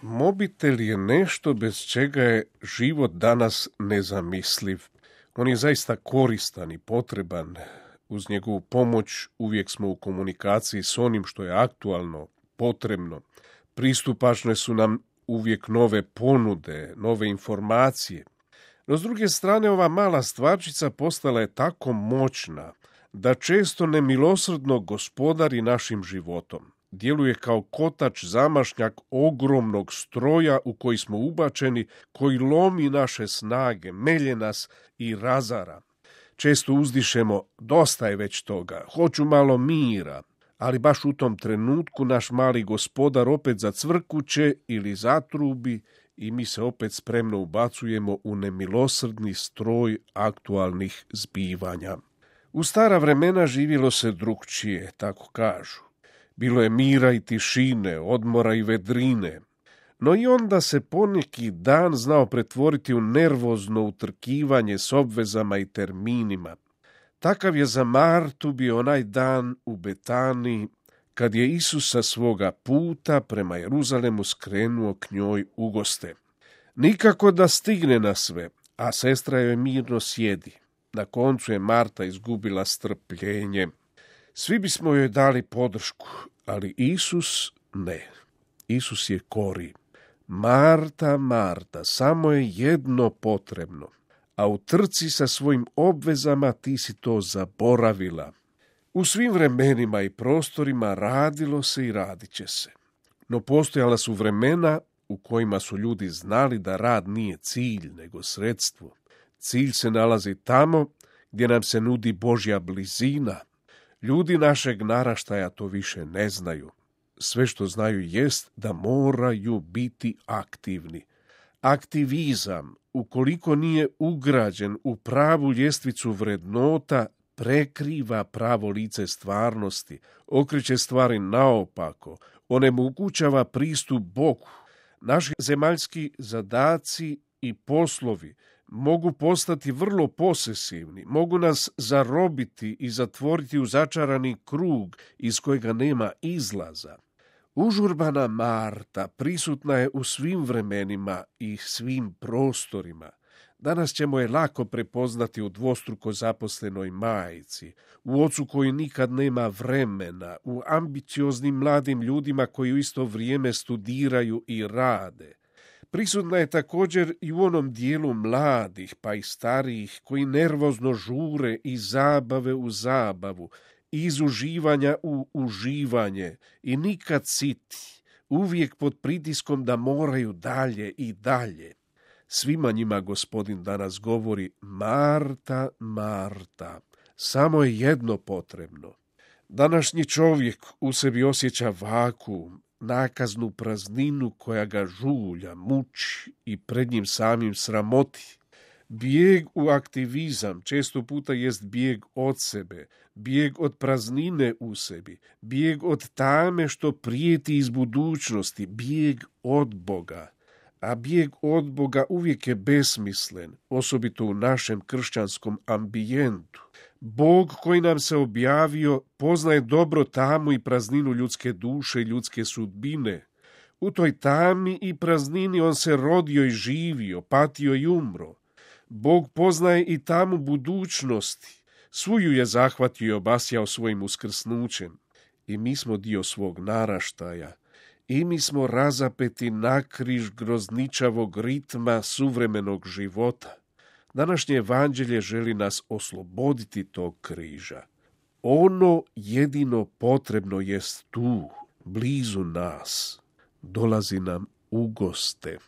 Mobitel je nešto bez čega je život danas nezamisliv. On je zaista koristan i potreban. Uz njegovu pomoć uvijek smo u komunikaciji s onim što je aktualno, potrebno. Pristupačne su nam uvijek nove ponude, nove informacije. No s druge strane, ova mala stvarčica postala je tako moćna da često nemilosrdno gospodari našim životom. Djeluje kao kotač zamašnjak ogromnog stroja u koji smo ubačeni, koji lomi naše snage, melje nas i razara. Često uzdišemo, dosta je već toga, hoću malo mira, ali baš u tom trenutku naš mali gospodar opet zacvrkuće ili zatrubi i mi se opet spremno ubacujemo u nemilosrdni stroj aktualnih zbivanja. U stara vremena živjelo se drukčije, tako kažu. Bilo je mira i tišine, odmora i vedrine, no i onda se poneki dan znao pretvoriti u nervozno utrkivanje s obvezama i terminima. Takav je za Martu bio onaj dan u Betaniji, kad je Isus sa svoga puta prema Jeruzalemu skrenuo k njoj u goste. Nikako da stigne na sve, a sestra joj mirno sjedi. Na koncu je Marta izgubila strpljenje. Svi bismo joj dali podršku, ali Isus ne. Isus je kori. Marta, Marta, samo je jedno potrebno, a u trci sa svojim obvezama ti si to zaboravila. U svim vremenima i prostorima radilo se i radit će se. No postojala su vremena u kojima su ljudi znali da rad nije cilj, nego sredstvo. Cilj se nalazi tamo gdje nam se nudi Božja blizina. Ljudi našeg naraštaja to više ne znaju. Sve što znaju jest da moraju biti aktivni. Aktivizam, ukoliko nije ugrađen u pravu ljestvicu vrednota, prekriva pravo lice stvarnosti, okreće stvari naopako, onemogućava pristup Bogu. Naši zemaljski zadaci i poslovi mogu postati vrlo posesivni, mogu nas zarobiti i zatvoriti u začarani krug iz kojega nema izlaza. Užurbana Marta prisutna je u svim vremenima i svim prostorima. Danas ćemo je lako prepoznati u dvostruko zaposlenoj majci, u ocu koji nikad nema vremena, u ambicioznim mladim ljudima koji u isto vrijeme studiraju i rade. Prisutna je također i u onom dijelu mladih, pa i starijih, koji nervozno žure iz zabave u zabavu, iz uživanja u uživanje i nikad siti, uvijek pod pritiskom da moraju dalje i dalje. Svima njima Gospodin danas govori: Marta, Marta, samo je jedno potrebno. Današnji čovjek u sebi osjeća vakuum, nakaznu prazninu koja ga žulja, muči i pred njim samim sramoti. Bijeg u aktivizam često puta jest bijeg od sebe, bijeg od praznine u sebi, bijeg od tame što prijeti iz budućnosti, bijeg od Boga. A bijeg od Boga uvijek je besmislen, osobito u našem kršćanskom ambijentu. Bog koji nam se objavio poznaje dobro tamu i prazninu ljudske duše i ljudske sudbine. U toj tami i praznini on se rodio i živio, patio i umro. Bog poznaje i tamu budućnosti. Svu ju je zahvatio i obasjao svojim uskrsnućem. I mi smo dio svog naraštaja. I mi smo razapeti nakriž grozničavog ritma suvremenog života. Današnje evanđelje želi nas osloboditi tog križa. Ono jedino potrebno jest tu, blizu nas. Dolazi nam u goste.